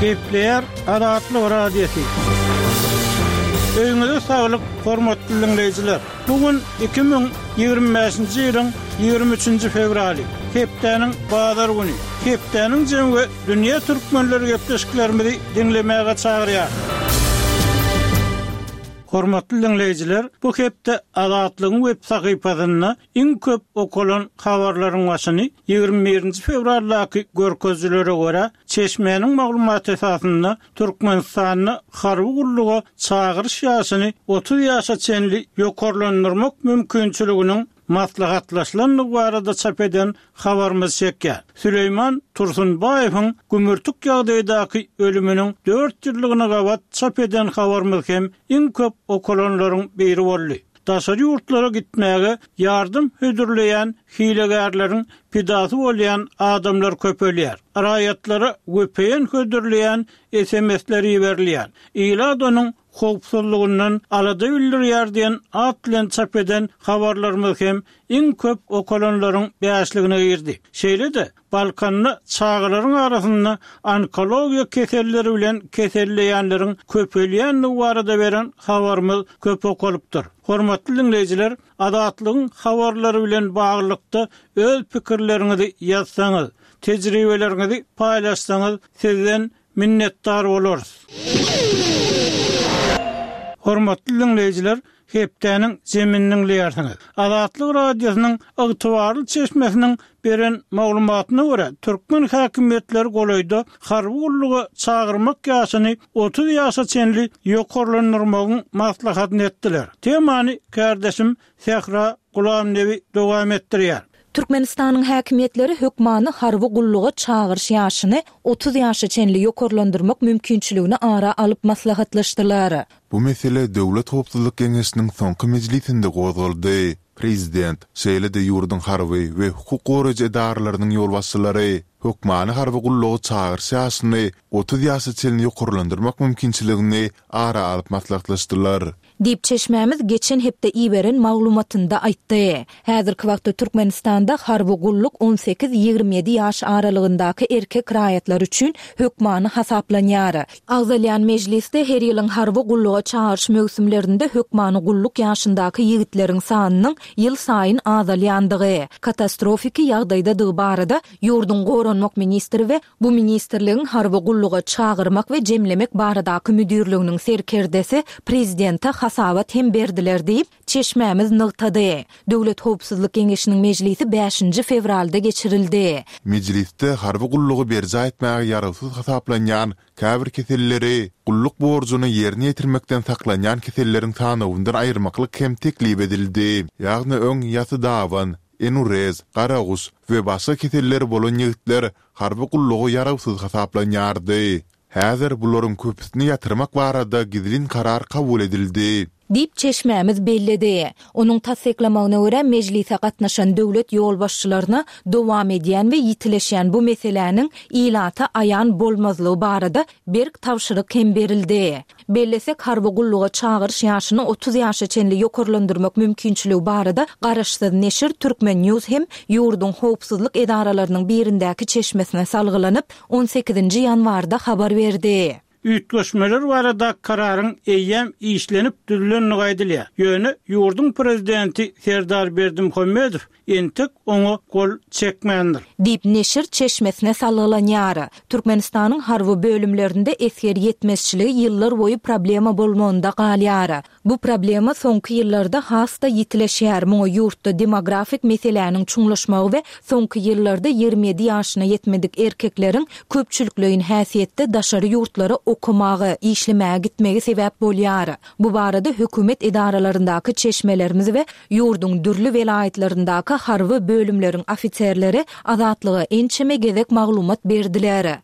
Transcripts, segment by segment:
Gepleýär Azatlyk Radiosy. Öýüňize saglyk, hormatly diňleýjiler! Bu gün 2025-nji ýylyň 23-nji fewraly, hepdäniň bazar güni. Hepdäniň jemi we dünýä türkmenleri gepleşiklerimizi diňlemäge çagyrýar. Hormatly diňleýjiler, bu hepde Azatlygyň web sahypasynda iň köp okalan habarlaryň başyny 21-nji fewraldaky görkezijilere görä, çeşmäniň maglumaty esasynda Türkmenistanda harby gulluga çagyryş ýaşyny 30 ýaşa çenli ýokarlandyrmak mümkinçiliginiň maslahatlaşylandygy barada çap eden habarymyz çekýär. Süleýman Tursunbaýewiň gümürtik ýagdaýdaky ölüminiň dört ýyllygyna gabat çap eden habarymyz hem iň köp okalanlaryň biri boldy. Daşary ýurtlara gitmäge ýardam hödürleýän hilegärleriň pidasy bolýan adamlar köpelýär. Raýatlara vpn hödürleýän SMS-ler iberilýär. Ilat onuň howpsuzlygyndan alada bildirýär diýen at bilen çap eden habarlarymyz hem iň köp okalanlaryň bäşligine girdi. Şeýle-de, Balkanda çagalaryň arasynda onkologiýa keselleri bilen keselleýänleriň köpelýändigi barada beren habarymyz köp okalypdyr. Hormatly diňleýjiler, Azatlygyň habarlary bilen baglylykda öz pikirleriňizi ýazsaňyz, tejribeleriňizi paýlaşsaňyz sizden Minnetdar bolarys. Hormatly diňleýjiler, hepdäniň jemini diňleýärsiňiz. Azatlyk Radiosynyň ygtybarly çeşmesiniň beren maglumatyna görä, türkmen häkimiýetleri golaýda harby gulluga çagyrmak ýaşyny 30 ýaşa çenli ýokarlandyrmagyň maslahatyny etdiler. Temany kärdeşim Sähra Gulamnebi dowam etdirýär. Türkmenistanyň häkimiýetleri hökmany harby gulluga çagyryş ýaşyny 30 ýaşa çenli ýokarlandyrmak mümkinçiligini ara alyp maslahatlaşdylar. Bu mesele Döwlet howpsuzlyk geňeşiniň soňky mejlisinde gozgaldy. Prezident, şeýle-de ýurduň harby we hukuk goraýjy edaralarynyň ýolbaşçylary hökmany harby gulluga çagyryş ýaşyny 30 ýaşa çenli ýokarlandyrmak mümkinçiligini ara alyp maslahatlaşdylar. Diýip, çeşmämiz geçen hepde iberen maglumatynda aýtdy. Häzirki wagtda Türkmenistanda harby gulluk on sekiz-ýigrimi ýedi ýaş aralygyndaky erkek raýatlar üçin hökmany hasaplanýar. Agzalýan mejlisde her ýylyň harby gulluga çagyryş möwsümlerinde hökmany gulluk ýaşyndaky ýigitleriň sanynyň ýylsaýyn azalýandygy, katastrofiki ýagdaýdadygy barada ýurduň goranmak ministri we Bu ministrligiň harby gulluga çagyrmak we jemlemek baradaky müdirliginiň serkerdesi prezidente hasabat hem berdiler diýip, çeşmämiz nygtady. Döwlet howpsuzlyk geňeşiniň mejlisi bäşinji fewralda geçirildi. Mejlisde harby gullugy berjaý etmäge ýarawsyz hasaplanýan käbir keselleri gulluk borjuny ýerine ýetirmekden saklanýan keselleriň sanawyndan aýyrmaklyk hem teklip edildi. Ýagny öň ýasy daban, enurez, garaguş we başga keselleri bolan ýigitler harby gulluga ýarawsyz hasaplanýardy. Häzir bularyň köpüsini ýatyrmak barada gizlin karar kabul edildi. Diýip, çeşmämiz belledi. Onuň tassyklamagyna görä, mejlise gatnaşan döwlet ýolbaşçylaryna dowam edýän we ýitileşýän bu meseläniň ilata aýan bolmazlygy barada berk tabşyryk hem berildi. Bellesek, harby gulluga çagyryş ýaşyny 30 ýaşa çenli ýokarlandyrmak mümkinçiligi barada garaşsyz neşir Turkmen. News hem ýurduň howpsuzlyk edaralarynyň birindäki çeşmesine salgylanyp, on sekizinji ýanwarda habar berdi. Üýtgeşmeler barada kararyň eýýäm işlenip düzülendigi aýdylýar. Ýöne ýurduň prezidenti Serdar Berdimuhamedow entek oňa gol çekmändir. Diýip, neşir çeşmesine salgylanýar. Türkmenistanyň harby bölümlerinde esger ýetmezçiligi ýyllar boýy problema bolmagynda galýar. Bu problema soňky ýyllarda has-da ýitileşýär, muňa ýurtda demografik meseläniň çuňlaşmagy we soňky ýyllarda 27 ýaşyna ýetmedik erkekleriň köpçülikleýin häsiýetde daşary ýurtlara okamaga, işlemäge gitmegi sebäp bolýar. Bu barada hökümet edaralaryndaky çeşmelerimiz we ýurduň dürli welaýatlaryndaky harby bölümleriň ofiserleri Azatlyga ençeme gezek maglumat berdiler.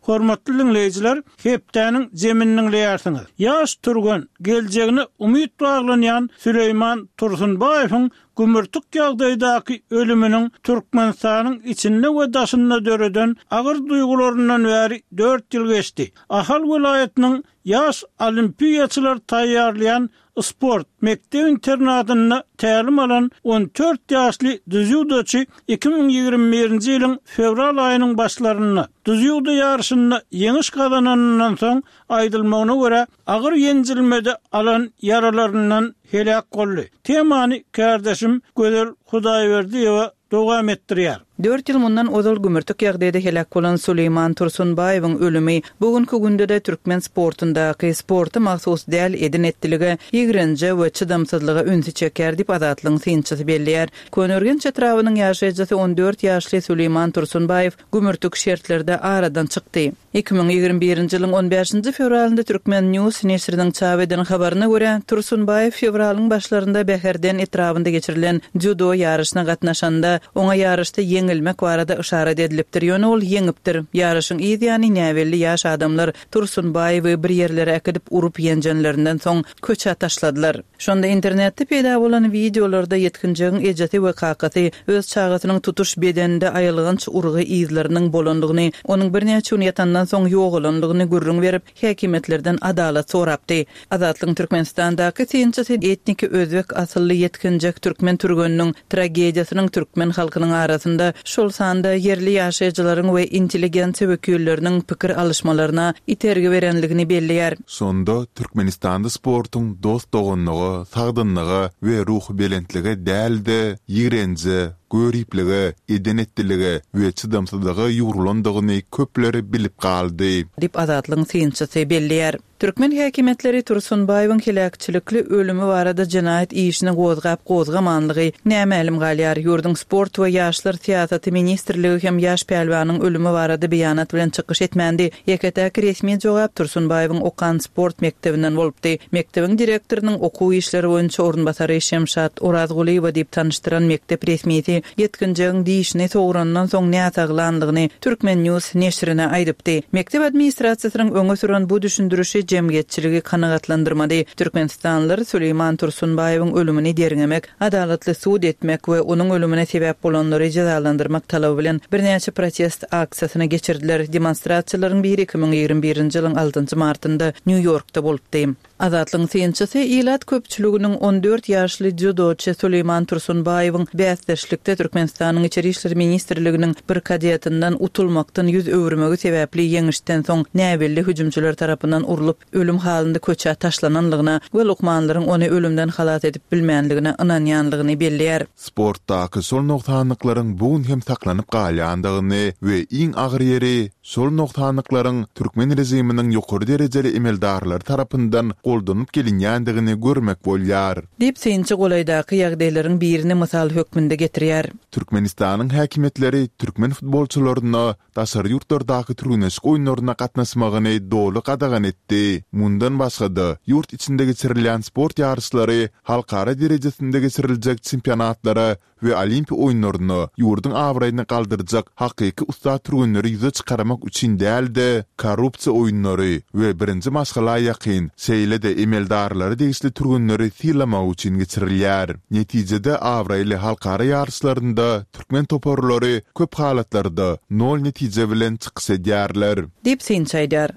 Hormatly diňleýjiler, hepdäniň jemini diňleýärsiňiz. Ýaş türgen, geljegine umyt baglanýan Süleýman Tursunbaýewiň gümürtik ýagdaýdaky ölüminiň Türkmenistanyň içinde we daşynda döreden agyr duýgularyndan bäri dört ýyl geçdi. Ahal welaýatynyň ýaş olimpiýaçylary taýýarlaýan sport mekdep-internadynda tälim alan 14 ýaşly dzýudoçy 2021-nji ýylyň fewral aýynyň başlarynda dzýudo ýaryşynda ýeňiş gazananyndan soň, aýdylmagyna görä, agyr ýenjilmede alan ýaralaryndan heläk boldy. Temany kärdeşim Gözel Hudaýberdiýewa dowam etdirýär. Dört ýyl mundan ozal gümürtik ýagdaýda heläk bolan Suleýman Tursunbaýewiň ölümi bu günki günde-de türkmen sportundaky sporta mahsus däl eden-etdilige, ýigrenje we çydamsyzlyga ünsi çekýär diýip, Azatlygyň synçysy belleýär. Köneürgenç etrabynyň ýaşaýjysy 14 ýaşly Suleýman Tursunbaýew gümürtik şertlerde aradan çykdy. 2021-nji ýylyň on bäşinji fewralynda Turkmen. News neşiriniň çap eden habaryna görä, Tursunbaýew fewralyň başlarynda Bäherden etrabynda geçirilen dzýudo ýaryşyna gatnaşanda, oňa ýaryşda ýeňilmek barada yşarat edilipdir, ýöne ol ýeňipdir. Ýaryşyň yz ýany näbelli ýaş adamlar Tursunbaýewi bir ýerlere äkidip urup-ýenjenlerinden soň, köçä taşladylar. Şonda internetde peýda bolan wideolarda ýetginjegiň ejesi we kakasy öz çagasynyň tutuş bedeninde aýylganç urgy yzlarynyň bolandygyny, onuň birnäçe gün ýatandan soň ýogalandygyny gürrüň berip, häkimiýetlerden adalat sorapdy. Azatlygyň Türkmenistandaky synçysy etniki özbek asylly ýetginjek türkmen türgeniniň tragediýasynyň türkmen halkynyň arasynda, şol sanda ýerli ýaşaýjylaryň we intelligensiýa wekilleriniň pikir alyşmalaryna itergi berenligini belleýär. Şonda Türkmenistanda sportuň dost-doganlyga, sagdynlyga we ruhubelentlige däl-de, ýigrenje, göriplige, eden-etdilige we çydamsyzlyga ýugrulandygyny köpler bilip galdy. Diýip, Azatlygyň synçysy belleýär. Türkmen häkimiýetleri Tursunbaýewiň heläkçilikli ölümi barada jenaýat işini gozgap-gozgamanlygy nämälim galýar. Ýurduň Sport we ýaşlar syýasaty ministrligi hem ýaş pälwanyň ölümi barada beýanat bilen çykyş etmändi. Ýeke-täk resmi jogap Tursunbaýewiň okan sport mekdebinden bolupdy. Mekdebiň direktorynyň okuw işleri boýunça orunbasary Şemşat Orazgulyýewa diýip tanyşdyran mekdep resmisi ýetginjegiň dişini sograndan soň näsaglanlygyny Turkmen. News neşirine aýdypdy. Mekdep administrasiýasynyň öňe süren bu düşündirişi jemgyýetçiligi kanagatlandyrmady. Türkmenistanlylar Süleýman Tursunbaýewiň ölümini derňemek, adalatly sud etmek we onuň ölümine sebäp bolanlary jezalandyrmak talaby bilen birnäçe protest aksiýasyny geçirdiler. Demonstrasiýalaryň biri 2021-nji ýylyň altynjy martynda Nýu-Ýorkda bolupdy. Azatlygyň synçysy ilat köpçüliginiň 14 ýaşly dzýudoçy Suleýman Tursunbaýewiň bäsdeşlikde Türkmenistanyň Içeri işler ministrliginiň bir kadetinden utulmakdan ýüz öwürmegi sebäpli ýeňişden soň näbelli hüjümçiler tarapyndan urlup, ölüm halynda köçä taşlananlygyna we lukmanlaryň ony ölümden halas edip bilmänligine ynanýanlygyny belleýär. Sportdaky şol nogsanlyklaryň bu gün hem saklanyp galýandygyny we iň agyr ýeri, şol nogsanlyklaryň türkmen režiminiň ýokary derejeli emeldarlary tarapyndan goldanyp gelinýändigini görmek bolýar. Diýip, synçy golaýdaky ýagdaýlaryň birini mysal hökmünde getirýär. Türkmenistanyň häkimiýetleri türkmen futbolçylaryna daşary ýurtlardaky türgenleşik oýunlaryna gatnaşmagyny doly gadagan etdi. Mundan başga-da, ýurt içinde geçirilýän sport ýaryşlary halkara derejesinde geçiriljek çempionatlara we Olimpiýa oýunlaryna ýurduň abraýyny galdyrjak hakyky ussat türgenleri ýüze çykarmak üçin däl-de, korrupsiýa oýunlary we birinji maşgala ýakyn, şeýle-de emeldarlara degişli türgenleri sylamak üçin geçirilýär. Netijede abraýly halkara ýaryşlarynda Türkmen toparlary köp halatlarda nol netije bilen çykyş edýärler. Diýip, synçy aýdýar.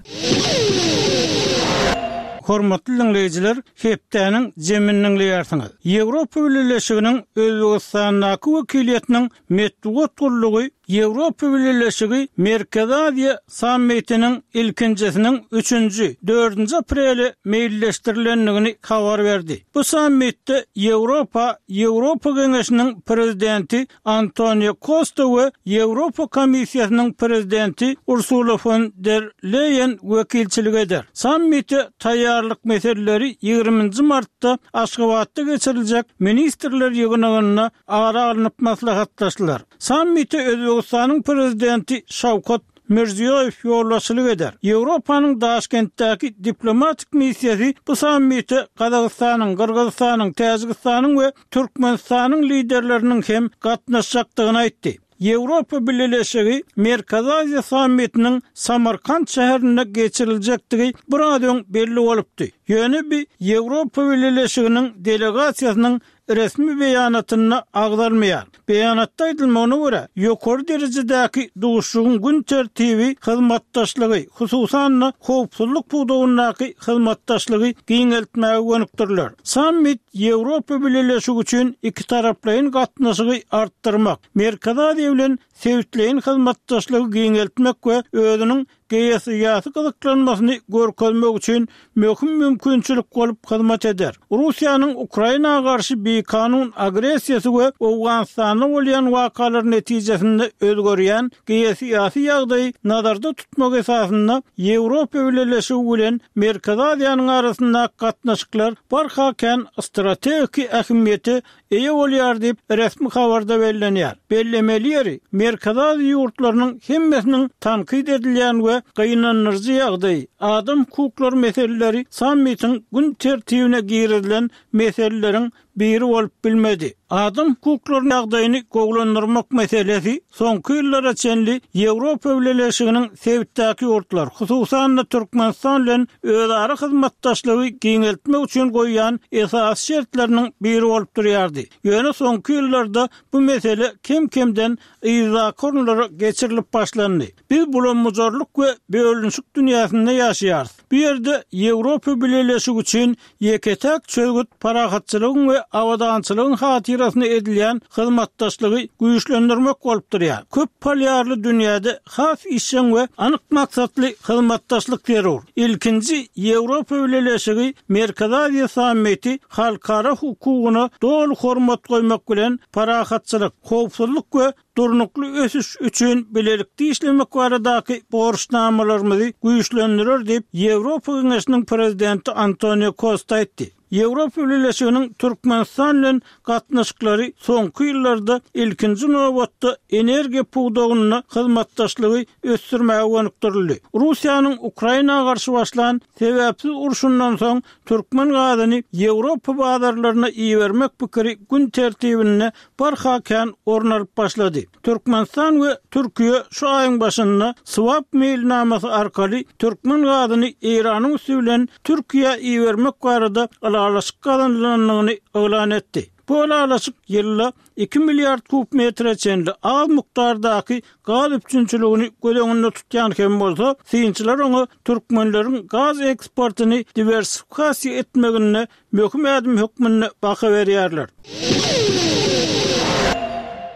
Hormatly diňleýjiler, hepdäniň jemini diňleýärsiňiz. Ýewropa Bileleşiginiň Özbegistandaky wekiliýetiniň metbugat gullugy Ýewropa Bileleşigi Merkezi Aziýa sammitiniň ilkinjisiniň üçünji, dördünji aprele meýilleşdirilendigini habar berdi. Bu sammitde Ýewropa Ýewropa Geňeşiniň Prezidenti Antonio Kosta we Ýewropa Komissiýasynyň Prezidenti Ursula fon der Leýen wekilçilik eder. Sammite taýýarlyk meseleleri ýigriminji martda Aşgabatda geçiriljek ministrler ýygnagynda ara alnyp maslahatlaşylar. Sammite Özbegistanyň Prezidenti Şawkat Mirziýoýew ýolbaşçylyk eder. Ýewropanyň Daşkentdäki diplomatik missiýasy bu sammite Gazagystanyň, Gyrgyzystanyň, Täjigistanyň we Türkmenistanyň liderleriniň hem gatnaşjakdygyny aýtdy. Ýewropa Bileleşigi Merkezi Aziýa sammitiniň Samarkant şäherinde geçiriljekdigi biraz öň belli bolupdy. Ýöne bi Ýewropa Bileleşiginiň delegasiýasynyň resmi beýanatynda agzalmaýar. Beýanatda aýdylmagyna görä, ýokary derejedäki duşuşygyň gün tertibi hyzmatdaşlygy, hususan-da, howpsuzlyk pudagyndaky hyzmatdaşlygy giňeltmäge gönükdiriler. Sammit Ýewropa Bileleşigi üçin ikitaraplaýyn gatnaşygy artdyrmak, Merkezi Aziýa bilen sebitleýin hyzmatdaşlygy giňeltmek we özüniň geosyýasy gyzyklanmasyny görkezmek üçin möhüm mümkinçilik bolup hyzmat eder. Russiýanyň Ukraina garşy bikanun agressiýasy we Owganystanda bolýan wakalar netijesinde özgerýän geosyýasy ýagdaýy nazarda tutmak esasynda Ýewropa Bileleşigi bilen Merkezi Aziýanyň arasyndaky gatnaşyklar barha kän strategiki ähmiýete eýe bolýar diýip, resmi habarda bellenýär. Bellemeli ýeri, Merkezi Aziýa ýurtlarynyň hemmesiniň tankyt edilýän we gynandyryjy ýagdaýy, adam hukuklary meseleleri sammitiň gün tertibine girizilen meseleleriň biri bolup bilmedi. Adam hukuklarynyň ýagdaýyny gowulandyrmak meselesi soňky ýyllara çenli Ýewropa Bileleşiginiň sebitdäki ýurtlar, hususan-da Türkmenistan bilen özara hyzmatdaşlygy giňeltmek üçin goýýan esasy şertleriniň biri bolup durýardy. Ýöne soňky ýyllarda bu mesele kem-kemden yzdaky orunlara geçirilip başlandy. Biz bulam-bujarlyk we bölünişik dünýäsinde ýaşaýarys. Bu ýerde Ýewropa Bileleşigi üçin Ýeke-täk çözgüt parahatçylygyň we abadançylygyň hatyrasyna edilýän hyzmatdaşlygy güýçlendirmek bolup durýar. Köp polýarly dünýäde has işjeň we anyk maksatly hyzmatdaşlyk zerur. Ilkinji Ýewropa Bileleşigi Merkezi Aziýa sammiti halkara hukugyna doly hormat goýmak bilen parahatçylyk, howpsuzlyk we durnukly ösüş üçin bilelikde işlemek baradaky borçnamalarymyzy güýçlendirer diýip, Ýewropa Geňeşiniň Prezidenti Antonio Kosta aýtdy. Ýewropa Bileleşiginiň Türkmenistan bilen gatnaşyklary soňky ýyllarda ilkinji nobatda energiýa pudagynda hyzmatdaşlygy ösdürmäge gönükdirildi. Russiýanyň Ukraina garşy başlan sebäpsiz urşundan soň türkmen gazyny Ýewropa bazarlaryna ibermek pikiri gün tertibinde barha kän orun alyp başlady. Türkmenistan we Türkiýe şu aýyň başynda swap meýilnamasy arkaly türkmen gazyny Eýranyň üsti bilen Türkiýä ibermek barada ylalaşyk gazanylandygyny yglan etdi. Bu ylalaşyk ýylda iki milliard kub metre çenli az mukdardaky gaz üpjünçiligini göz öňünde tutýan hem bolsa, synçylar oňa türkmenleriň gaz eksportyny diwersifikasiýa etmeginde möhüm ädim hökmünde baha berýärler.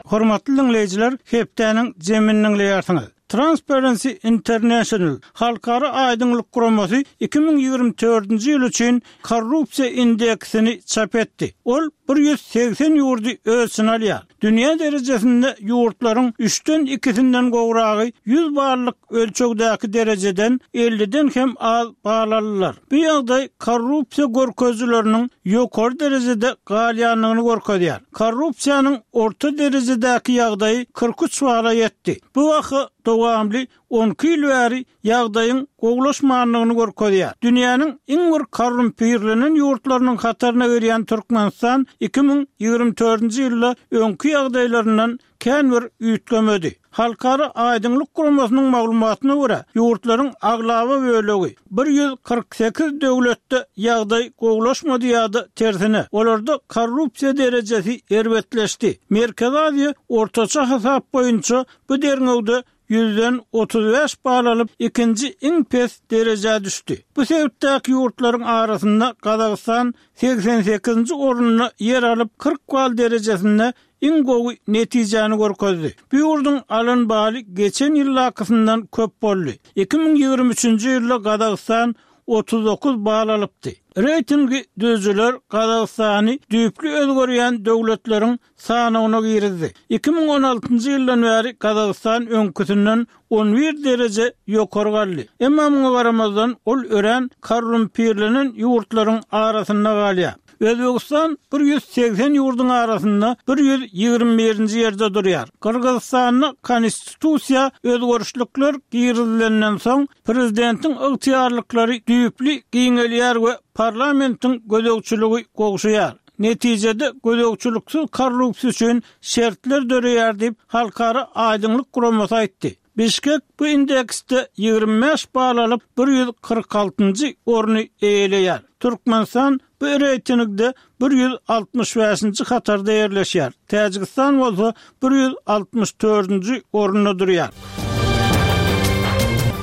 Hormatly diňleýjiler, hepdäniň jemini diňleýärsiňiz. Transparency International halkara aýdyňlyk guramasy 2024-nji ýyl üçin korrupsiýa indeksini çap etdi. Ol 180 ýurdy öz içine alýar. Dünýä derejesinde ýurtlaryň üçden ikisinden gowragy 100 ballyk ölçegdäki derejeden elliden hem az bal aldylar. Bu ýagdaý korrupsiýa görkezijileriniň ýokary derejede galýandygyny görkezýär. Korrupsiýanyň orta derejedäki ýagdaýy 43 bala ýetdi. Bu baha dowamly 12 ýyl bäri ýagdaýyň gowulaşmandygyny görkezýär. Dünýäniň iň bir korrumpirlenen ýurtlarynyň hataryna girýän Türkmenistan 2024-nji ýylda öňki ýagdaýlaryndan kän bir üýtgemedi. Halkara aýdyňlyk guramasynyň maglumatyna görä, ýurtlaryň aglaba bölegi, 148 döwletde ýagdaý gowulaşmady ýa-da tersine, olarda korrupsiýa derejesi erbetleşdi. Merkezi Aziýa ortaça hasap boýunça bu derňewde ýüzden 35 bal alyp, ikinji iň pes derejä düşdi. Bu sebitdäki ýurtlaryň arasynda Gazagystan 88-nji orunda ýer alyp, 40 bal derejesinde iň gowy netijäni görkezdi. Bu ýurduň alan baly geçen ýyldakysyndan köp boldy. 2023-nji ýylda Gazagystan 39 bal alypdy. Reýtingi düzüjiler Gazagystany düýpli özgerýän döwletleriň sanawyna girizdi. 2016-njy ýyldan bäri Gazagystan öňküsinden 11 dereje ýokary galdy. Emma muňa garamazdan, ol örän korrumpirlenen ýurtlaryň arasynda galýar. Özbegistan 180 ýurduň arasynda 121-nji ýerde durýar. Gyrgyzystanda konstitusiýa özgerişlikler girizilenden soň, prezidentiň ygtyýarlyklary düýpli giňelýär we parlamentiň gözegçiligi gowşaýar. Netijede gözegçiliksiz korrupsiýa üçin şertler döreýär diýip, Halkara aýdyňlyk guramasy aýtdy. Bişkek bu indeksde 25 bal alyp, 146-njy orny eýeleýär. Türkmenistan bu reýtingde 165-nji hatarda ýerleşýär. Täjigistan bolsa 164-nji orunda durýar.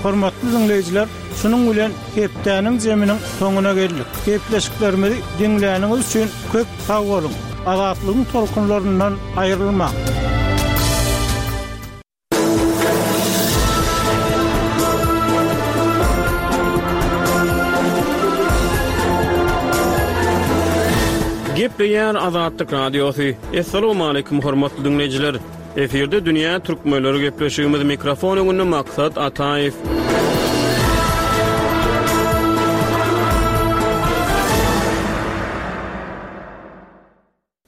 Hormatly diňleýjiler, şunuň bilen hepdäniň zeminiň soňuna geldik. Gepleşiklerimizi diňläniňiz üçin köp sag boluň! Azatlygyň tolkunlaryndan aýrylmaň! Gepleýär Azatlyk Radiosy. Assalamualaikum hormatly diňleýjiler. Efirde dünýä türkmenleri gepleşigimiz mikrofon öňünde Maksat Ataýew.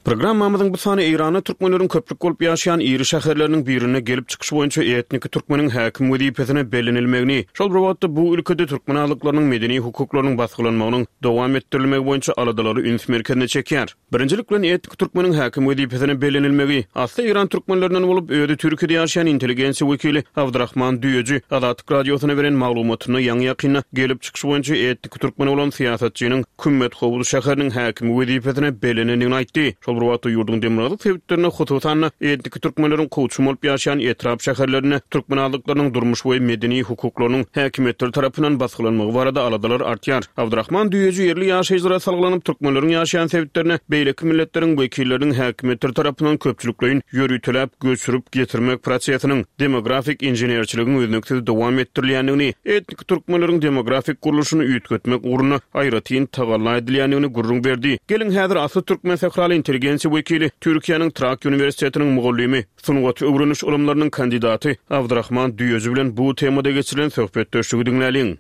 Programmamyzyň bu sany Eýranda türkmenleriň köplük bolup ýaşaýan iri şäherleriniň birinde gelip çykyşy boýunça etniki türkmeniň häkim wezipesine bellenilmegini, şol bir wagtda bu ülkede türkmen azlyklarynyň medeni hukuklarynyň basgylanmagynyň dowam etdirilmegi boýunça aladalary üns merkezine çekýär. Birinjilik bilen etniki türkmeniň häkim wezipesine bellenilmegi, asly eýran türkmenlerinden bolup, özi Türkiýede ýaşaýan intelligensiýa wekili Abdyrahman Düýeji Azatlyk Radiosyna beren maglumatynda ýaňy-ýakynda gelip çykyşy boýunça etniki türkmen bolan syýasatçynyň Kümmethowuz şäheriniň häkimi wezipesine bellenendigini aýtdy. Şol bir wagtda, ýurduň demirgazyk sebitlerinde, hususan-da, etniki türkmenleriň kowçum bolup ýaşaýan etrap-şäherlerinde türkmen azlyklarynyň durmuş we medeni hukuklarynyň häkimiýetler tarapyndan basgylanmagy barada aladalar artýar. Abdyrahman Düýeji ýerli ýaşaýjylara salgylanyp, türkmenleriň ýaşaýan sebitlerine beýleki milletleriň wekilleriniň häkimiýetler tarapyndan köpçülikleýin ýöriteläp göçürip getirmek prosesiniň, demografik inženerçiligiň üznüksiz dowam etdirilýändigini, etniki türkmenleriň demografik gurluşyny üýtgetmek ugrunda aýratyn tagalla edilýändigini gürrüň berdi. Geliň, häzir asly türkmen sähraly intelligensiýa wekili, Türkiýäniň Trakýa uniwersitetiniň mugallymy, sungaty öwreniş ylymlarynyň kandidaty Abdyrahman Düýeji bilen bu temada geçirilen söhbetdeşligi diňläliň.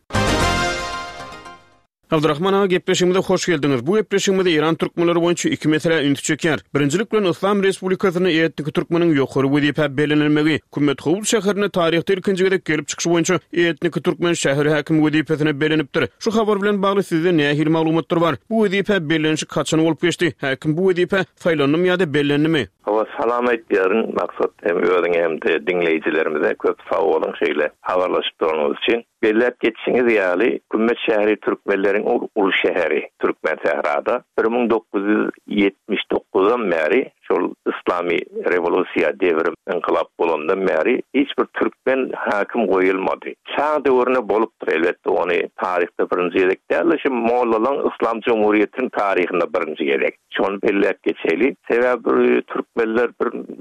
Abdyrahman aga gepleşigimize hoş geldiňiz. Bu gepleşigimiz Eýran türkmenleri boýunça iki meselä ünsi çekýär. Birinjilik bilen Yslam Respublikasynda etniki türkmeniň ýokary wezipä bellenilmegi. Kümmethowuz şäherinde taryhda ilkinji gezek gelip çykyşy boýunça etniki türkmen şäher häkimi wezipesine bellenipdir. Şu habar bilen bagly sizde nähili maglumatlar bar? Bu wezipä bellenişik haçan bolup geçdi? Häkim bu wezipä saýlandymy ýa-da bellendimi? Hawa salam aýtýaryn Maksat hem özüňe hem-de diňleýjilerimize köp sag boluň şeýle habarlaşyp duranyňyz üçin. Belläp geçişiňiz ýaly, Kümmet şäheri türkmenleriň uly şäheri, Türkmensährada 1979-dan bäri, şol yslamy rewolýusiýa, dewrim, ynkylap bolandan bäri hiç bir türkmen häkim goýulmady. Şa döwründe bolupdyr, elbetde, ony taryhda birinji gezek däl-de, şu mollalaň yslam jumhuriýetiniň taryhynda birinji gezek. Şony belläp geçeli. Sebäbi türkmenler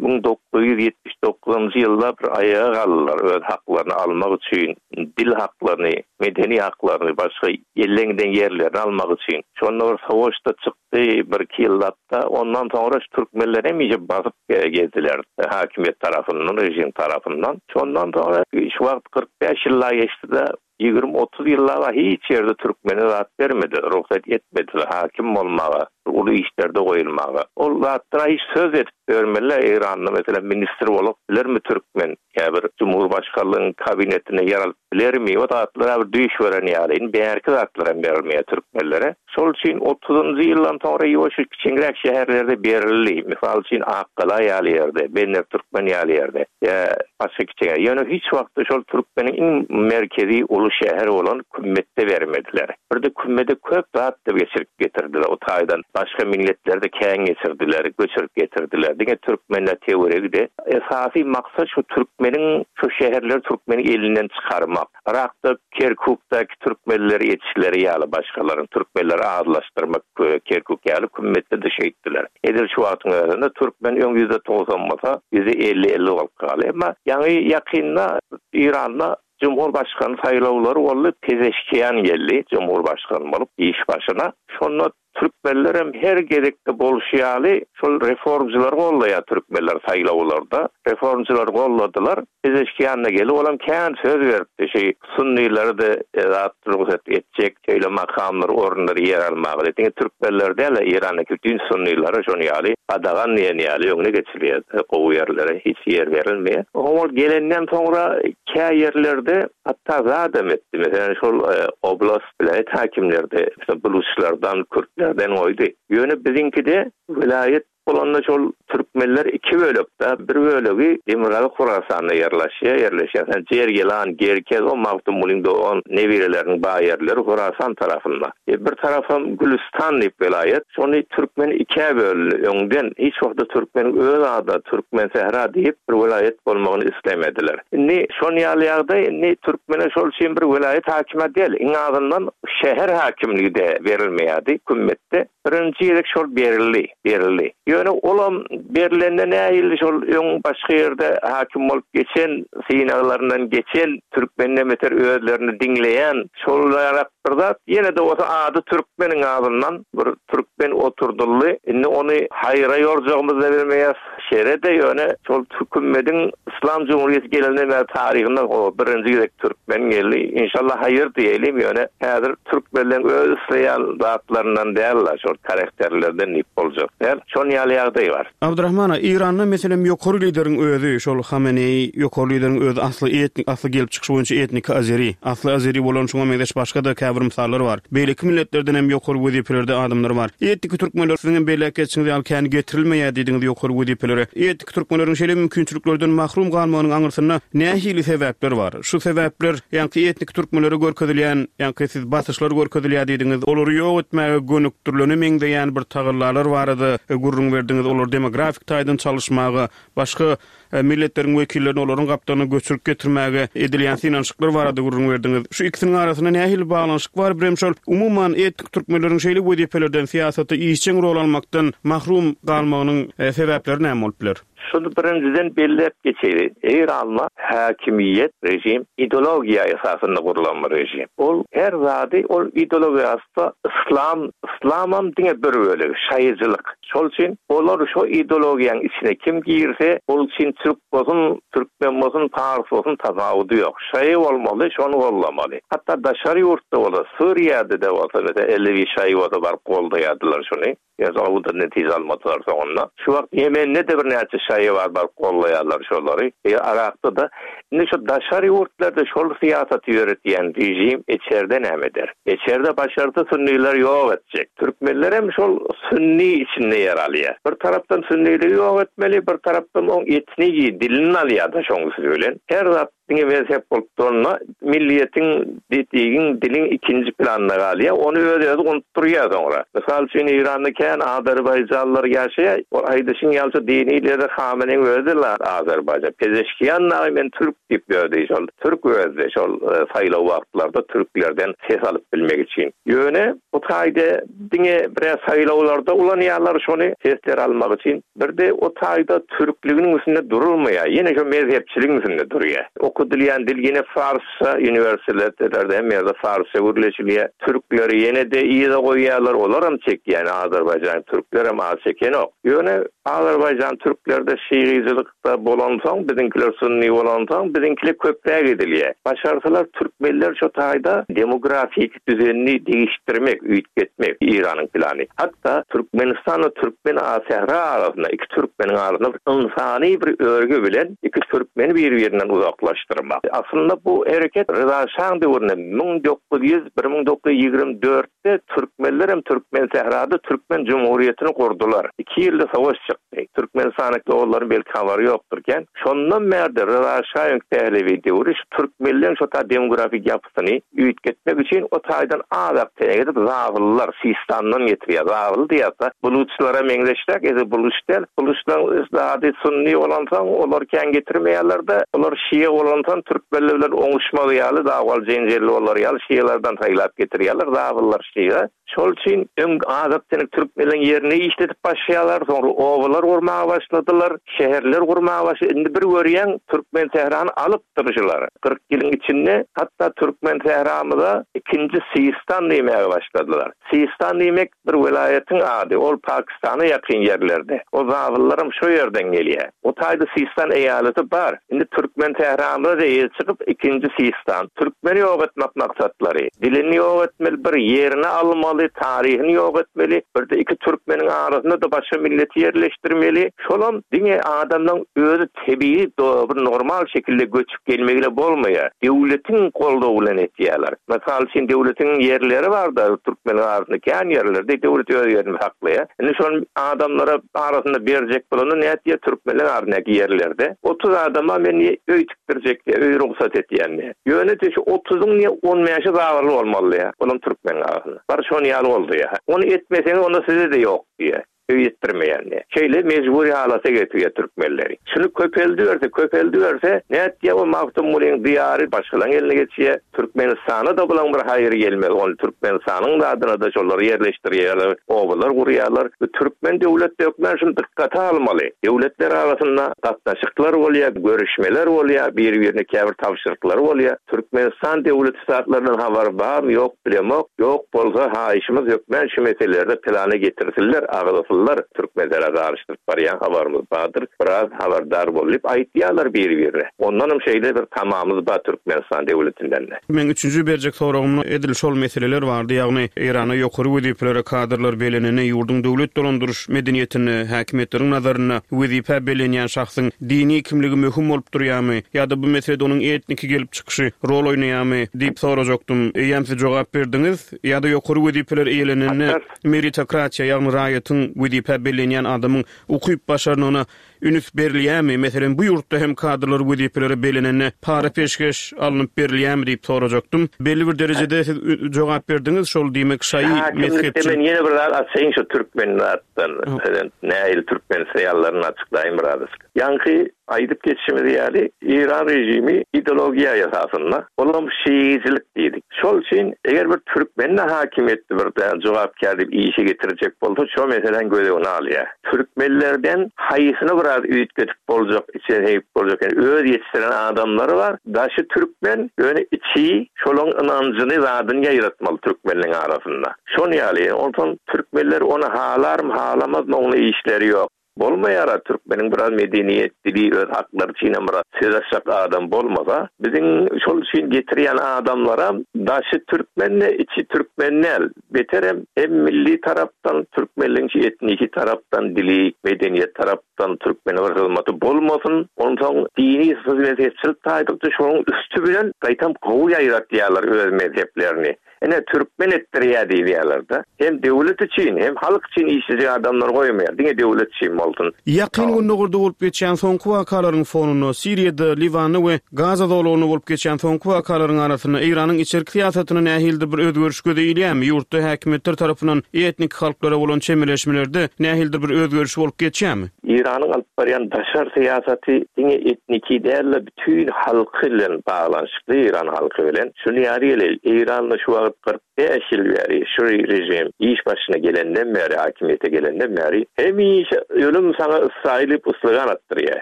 1979-njy ýylda bir aýaga galdylar öz haklaryny almak üçin, dil haklaryny, medeni haklaryny, başga elden giden ýerlerini almak üçin. Şonda bir sowaş-da çykdy birki ýyllap-da. Ondan soňra şu türkmenler hemişe basyp gezdiler hakimiýet tarapyndan, režim tarapyndan. Şondan soňra şu wagt 45 ýyl-a geçdi-de, 20-30 ýyllap-a hiç ýerde türkmene zat bermediler, rugsat etmediler hakim bolmaga, uly işlerde goýulmaga. Ol zatlara hiç söz edip ýörmeliler, Eýranda meselem ministr bolup bilermi türkmen, ýa bir jumhurbaşkanlygyň kabinetinde ýer alyp bilermi, o zatlar-a bir düýş gören ýaly, indi bärki zatlaram berilmeýär türkmenlere. Şol üçin otuzynjy ýyldan soňra ýuwaş kiçeňräk şäherlerde berildi. Mysal üçin, Akgala ýaly ýerde, Bender Türkmen ýaly ýerde ýa başga kiçeňräk. Ýöne hiç wagtda şol türkmeniň iň merkezi uly şäheri bolan Kümmetde bermediler. Birde Kümmede köp zat-da geçirip getirdiler. O taýdan başga milletleri-de kän geçirdiler, göçürip getirdiler. Diňe türkmenler töweregi-de. Esasy maksat şu türkmeniň şu şäherleri türkmeniň elinden çykarmak. Yrakda Kerkukdaky türkmenleri etişleri ýaly başgalaryň türkmenleri azlaşdyrmak Kerkuk ýaly kümmetde-de şeýtdiler. Edil şu wagtyň özünde türkmen öň 90% bolsa 50% bolup galdy. Emma ýaňy ýakynda Eýranda Cumhurbaşkany saýlawlary boldy, Pezeşkian geldi Cumhurbaşkany bolup iş başyna. Şonda Türkmenlerem her gezekde bolşy ýaly şol reformçylary gollaýar türkmenler saýlawlarda. Reformçylary golladylar. Pezeşkian-da gelip olam kän söz beripdi şi sunnilere-de zat rugsat etjek şeýle makamlar orunlary ýer almaga diýip. Diňe türkmenler däl-de Eýrandaky bütin sunnilere şon ýaly gadagan diýen ýaly öňüne geçilýär. Gowy ýerlere hiç ýer berilmeýär. Oňa ol gelenden soňra kä ýerlerde hatda zadam etdi. Meselem şol oblast Welaýat häkimleri-de buluçlardan, kürtlerden goýdy. Ýöne biziňkide welaýat bolanda şol türkmenler iki bölekde, bir bölegi Demirgazyk Horasanda ýerleşýär, ýerleşýär. Sen Jergilan, Gerkez, o Magtymgulyň dogan nebereleriniň bar ýerleri Horasan tarapynda. E, bir tarapam Gülüstan diýip welaýat. Şony türkmen ikä böldi öňden. Hiç wagtda türkmeniň öz ady Türkmensähra diýip bir welaýat bolmagyny islemediler. Indi şon ýaly ýagdaý indi türkmene şol üçin bir welaýat hakimi däl, iň azyndan şäher hakimligi-de berilmeýärdi kümmetde. Birinji gezek şol berildi, berildi. Ýöne olam berlende nähili şol öň başga ýerde hakim bolup geçen, synaglaryndan geçen, türkmenden beter özlerini diňleýän şol ýarak bir zat. Ýene-de bolsa ady türkmeniň azyndan bir türkmen oturdyldy. Indi ony haýra ýorjagymyzy-da bilmeýäs. Şere-de ýöne şol kümmediň Yslam Jumhuriýeti gelenden bäri taryhynda o birinji gezek türkmen geldi. Inşallah haýyr diýelim ýöne häzir türkmenleň öz isleýän zatlaryndan däl-la şol karakterlerden diýip boljak däl. Şon ýaly ýagdaý bar. Abdyrahman aga, Eýranda meselem ýokary lideriň özi şol Hameneýi ýokary lideriň özi asly etnik asly gelip çykyşy boýunça etniki azeri. Asly azeri bolan şuňa meňzeş başga-da käbir mysallar bar. Beýleki milletlerden hem ýokary wezipelerde adamlar bar. Etniki türkmenler siziň hem belläp geçişiňiz ýaly kän getirilmeýär diýdiňiz ýokary wezipelere. Etniki türkmenleriň şeýle mümkinçiliklerden mahrum galmagynyň aňyrsynda nähili sebäpler bar? Şu sebäpler ýaňky etniki türkmenlere görkezilýän, ýaňky siz basyşlar görkezilýär diýdiňiz, olary ýok etmäge gönükdirilene meňzeýän bir tagallalar barada gürrüň berdiňiz, olary demografik taýdan çalyşmaga, başga milletleriň wekillerini olaryň gapdalyna göçürip getirmäge edilýän synanyşyklar barada gürrüň berdiňiz. Şu ikisiniň arasynda nähili baglanyşyk bar? Birem şol, umuman, etnik türkmenleriň şeýle wezipelerden, syýasatda işjeň rol almakdan mahrum galmagynyň sebäpleri näme bolup biler? Şuny birinjiden belläp geçeýin, Eýranda häkimiýet, režim ideologiýa esasynda gurlan bir režim. Ol her zady ol ideologiýa asda yslam, yslamam diňe bir bölegi, şaýyjylyk. Şol üçin olar şo ideologiýaň içine kim girse, ol üçin türk bolsun, türkmen bolsun, pars bolsun tapawudy ýok. Şaýy bolmaly, şony goldamaly. Hatda daşary ýurtda bolsa, Suriýada-da bolsa, meselem, Elewi şaýy bolsa baryp goldaýardylar şony. Ýöne o-da netije almadylar soňunda. Şu wagt Ýemende-de birnäçe şaýy bar baryp goldaýarlar şolary. Yrakda-da. Indi şu daşary ýurtlarda şol syýasaty ýöretýän režim içerde näme eder? Içerde başarsa sünnileri ýok etjek. Türkmenlerem şol sünni içinde ýer alýar. Bir tarapdan sünniligi ýok etmeli, bir tarapdan oň etnigi, dilini alýar-da şoň üsti bilen. Her zat diňe mezhep bolup duranda milliýetiň, etnigiň, diliň ikinji planyna galýar. Ony öz-özi unutdyrýar soňra. Mysal üçin Eýranda kän azerbaýjanlylar ýaşaýar. Ol aýdyşyň ýaly şo dini lideri Hameneýiň özi-le azerbaýjan. Pezeşkian dagy men türk diýip ýördi şol. Türk özi şol saýlaw wagtlarda türklerden ses alyp bilmek üçin. Ýöne bu taýda diňe birä saýlawlarda ulanýarlar şony sesler almak üçin. Birde o taýda türkliginiň üstünde durulmaýar. Ýene şo mezhepçiligiň üstünde durýar. Okadylýan dil ýene farsça, uniwersitetlerde hemme ýerde farsça gürleşilýär. Türkleri ýene-de yza goýýarlar, olaram çekýär. Ýani azerbaýjan türklerem az çekenok. Ýöne azerbaýjan türklerde şygyjylyk Da bolansoň, biziňkiler sunni bolansoň, biziňkile köpräk edilýär. Başarsalar türkmenler şo taýda demografik düzenini degişdirmek, üýtgetmek Eýranyň plany. Hatda Türkmenistan we Türkmen Sähra arasynda, iki türkmeniň arasynda bir ynsany bir örgi bilen iki türkmeni bir-birinden uzaklaşdyrmak. Aslynda bu hereket Ryza şaň döwründe 1900, 1924 de türkmenlerem Türkmensährada Türkmen Jumhuriýetini gurdular. Iki ýylda savaş çykdy. Türkmenistanyň doganlaryň belki habary ýokdur kän. Şondan bärde Ryza şaýyň Pehlewi döwri şu türkmenleň şo ta demografik ýapysyny üýtgetmek üçin o taýdan azak tenek edip zabyllar Sistandan getirýär. Zabyl diýýärse buluçlara meňzeşräk edil buluç däl. Buluçlaryň zady sunni bolansoň olar kän getirmeýärler-de olar şia bolansoň türkmenler bilen oňuşmaz ýaly dawaly jenjelli bolar ýaly şialardan saýlap getirýärler zabyllar şia. Şol üçin öň azak tenek türkmenleň ýerini işledip başlaýarlar, soňra obalar gurmaga başladylar, şäherler gurmaga başlady. Indi bir görýäň Türkmensährany alypdyr şular. 40 ýylyň içinde hatda Türkmensähramyza ikinji Sistan diýmäge başladylar. Sistan diýmek bir welaýatyň ady, ol Pakistana ýakyn ýerlerde. O zabyllaram şo ýerden gelýär. O taýda Sistan eýaleti bar. Indi türkmen Tähranra-da eýe çykyp ikinji Sistan. Türkmeni ýok etmek maksatlary. Dilini ýok etmeli, bir ýerini almaly. almaly, taryhyny ýok etmeli, birde iki türkmeniň arasynda-da başga milleti ýerleşdirmeli. Şolam diňe adamlaň özi tebigy bir normal şekilde göçüp gelmegile bolmaýar. Döwletiň goldawy bilen etýärler. Mysal üçin döwletiň ýerleri barda türkmeniň arasynda kän ýerlerde döwlet öz ýerini saklaýar. Indi şony adamlara arasynda berjek bolanda nätýär türkmenleň arasyndaky ýerlerde 30 adama men öý tikdirjek diýýär, öý rugsat etýän diýýär. Ýöne-de şu otuzyň diýýär on bäşi zabarly bolmaly diýýär. Olam türkmeniň arasynda. Bar şony ýaly boldy diýýär. Ony etmeseňiz onda size-de ýok diýýär. Öý etdirmeýän diýýär. Şeýle mejbury halata getirýär türkmenleri. Şuny köpeldiberse, köpeldiberse, nätýär o Magtymgulyň diýary başgalaň eline geçýär. Türkmenistana-da bulaň bir haýry gelmez. Ony Türkmenistanyň zadyna-da şolary ýerleşdirýärler, obalar gurýarlar. Bu türkmen döwlet hökmän şuny dykgata almaly. Döwletler arasynda gatnaşyklar bolýar, görüşmeler bolýar, bir-birine käbir tabşyryklary bolýar. Türkmenistan döwleti zatlardan habary barmy ýok bilemok, ýok bolsa haýyşymyz hökmän şu meselelerde plana getirsinler, agzasynlar, türkmenlere garyşdyryp barýan habarymyz bardyr, biraz habardar bol diýip aýtýarlar biri birine. Ondanam şeýle bir tamamyz bar Türkmenistan döwletindende. Meň üçünji berjek soragymda edil şol meseleler bardy, ýagny Eýranda ýokary wezipelere kadrlar belenende ýurduň döwlet dolandyryş medeniýetinde, häkimiýetleriň nazarynda wezipä bellenýän şahsyň dini kimligi möhüm bolup durýarmy ýa-da bu meselede onuň etniki gelip çykyşy rol oýnaýarmy diýip sorajakdym. Eýýäm siz jogap berdiňiz. Ýa-da ýokary wezipeler eýelenende meritokratiýa, ýagny raýatyň, wezipä bellenýän adamyň ukyp-başarnygyna üns berilýärmi? Meselem, bu ýurtda hem kadrlar wezipelere bellenende para-peşgeş alnyp berilýärmi diýip sorajakdym. Belli bir derejede siz jogap berdiňiz, şol diýmek şaýy Häkimlikde mezhepçilik. men ýene bir zat açaýyn şu türkmen zatdan. Prezident nähili türkmen syýallaryny açyklaýyn birazajyk. Ýaňky aýdyp geçişimiz ýaly, Eýran režimi ideologiýa esasynda, olam şiiçilik diýdik. Şol üçin eger bir türkmeni hakimiýetde bir jogapkär diýip işe getirjek bolsa, şo meseläni göz öňüne alýar. Türkmenlerden haýsyny biraz üýtgedip boljak, içine siňip boljak, ýani öz ýetişdiren adamlary bar, daşy türkmen, ýöne içi şolaň ynanjyny, zadyny ýaýratmaly türkmenleň arasynda. Şon ýaly, onsoň türkmenler ony halarmy, halamazmy oňla işleri ýok. Bolmaýara türkmeniň biraz medeniýet dili öz haklary üçinem biraz söz açjak adam bolmasa biziň şol üçin getirýän adamlaram daşy türkmende içi türkmen däl beterem hem milli tarapdan türkmenligiň şu etniki tarapdan dili medeniýet tarapdan türkmene bir hyzmaty bolmasyn onsoň dini mezhepçilik taýdykda şonuň üsti bilen gaýtam gowy ýaýratýarlar öz mezheplerini Ine, türkmen etdirýär diýýärler-de. Hem döwlet üçin, hem halk üçin işlejek adamlary goýmaýar. Diňe döwlet üçin bolsun. Ýakyn Gündogarda bolup geçýän soňky wakalaryň fonunda, Siriýada, Liwanda we Gaza zolagynda bolup geçýän soňky wakalaryň arasynda Eýranyň içerki syýasatynda nähilidir bir özgeriş göze ilýärmi? Ýurtda häkimiýetler tarapyndan etnik halklara bolan çemeleşmelerde nähilidir bir özgeriş bolup geçýärmi? Eýranyň alyp barýan daşary syýasaty diňe etniki däl-de, bütin halky bilen baglanyşykly Eýran halky bilen. Şuny ýaly geleli, Eýranda şu wagt 45 ýyl bäri şu režim iş başyna gelenden bäri, hakimiýete gelenden bäri hemişe ölüm saňa Ysraýyl diýip yslygan atdyrýar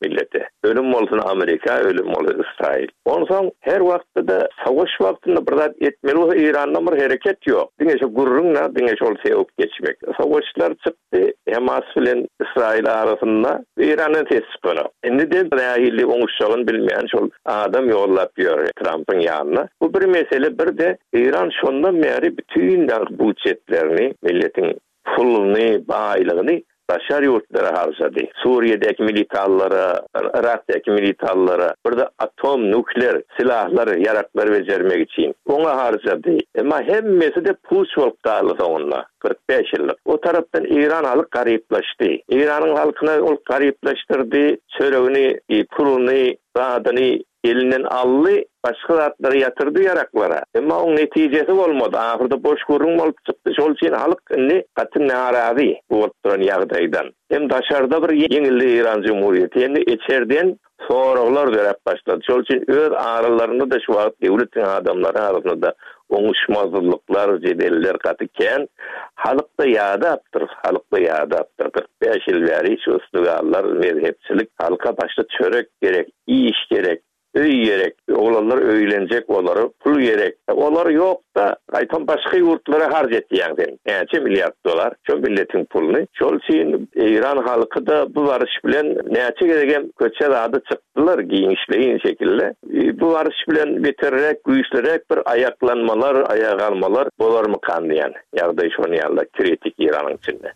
millete. Ölüm bolsun Amerika, ölüm bolsun Ysraýyl. Onsoň her wagtda-da savaş wagtynda bir zat etmeli bolsa Eýrandan bir hereket ýok. Diňe şu gürrüň-de, diňe şol sewip geçmek. Savaşlar çyk Hamas bilen Ysraýyl arasynda Eýrandan ses çykanok. Indi-de nähili oňuşjagyny bilmeýän şol adam ýollap ýör Trampyň ýanyna. Bu bir mesele, bir-de Eýran şondan bäri bütin budjetlerini, milletiň puluny, baýlygyny daşary ýurtlara harjady. Suriýedäki militallara, Yrakdaky militallara, bir-de atom, nukler silahlar, ýaraklar bejermek üçin oňa harjady. Emma hemmesi-de puç bolup galdy soňunda. 45 ýyllyk. O tarapdan Eýran halk garyplaşdy. Eýranyň halkyna ol garyplaşdyrdy, çöregini, puluny, zadyny elinden aldy, başga zatlara ýatyrdy ýaraklara. Emma oň netijesi bolmady. Ahyrda boş gürrüň bolup çykdy. Şol üçin halk indi gaty narazy bu bolup duran ýagdaýdan. Hem daşarda bir ýeňildi Eýran jumhuriýeti, hem-de içerden Soraglar döräp başlady. Şol üçin öz aralarynda-da şu wagt döwletiň adamlary arasynda-da oňuşmazlyklar, jedeller gaty kän. Halk-da ýadapdyr, halk-da ýadapdyr. 45 ýyl bäri şu ystygallar, mezhepçilik, halka başda çörek gerek, iş gerek, öý gerek. Oglanlar öýlenjek olara pul gerek. Olar ýokda gaýtam başga ýurtlara harç etýäň sen. Näçe milliard dollar şo milletiň puluny. Şol üçin Eýran halky-da bu baryş bilen näçe gezegem köçe zada çykdylar giňişleýin şekilde. Bu baryş bilen beterräk güýçliräk bir aýaklanmalar, aýaga galmalar bolarmykan diýen ýagdaý şony ýaly kritik Eýranyň içinde.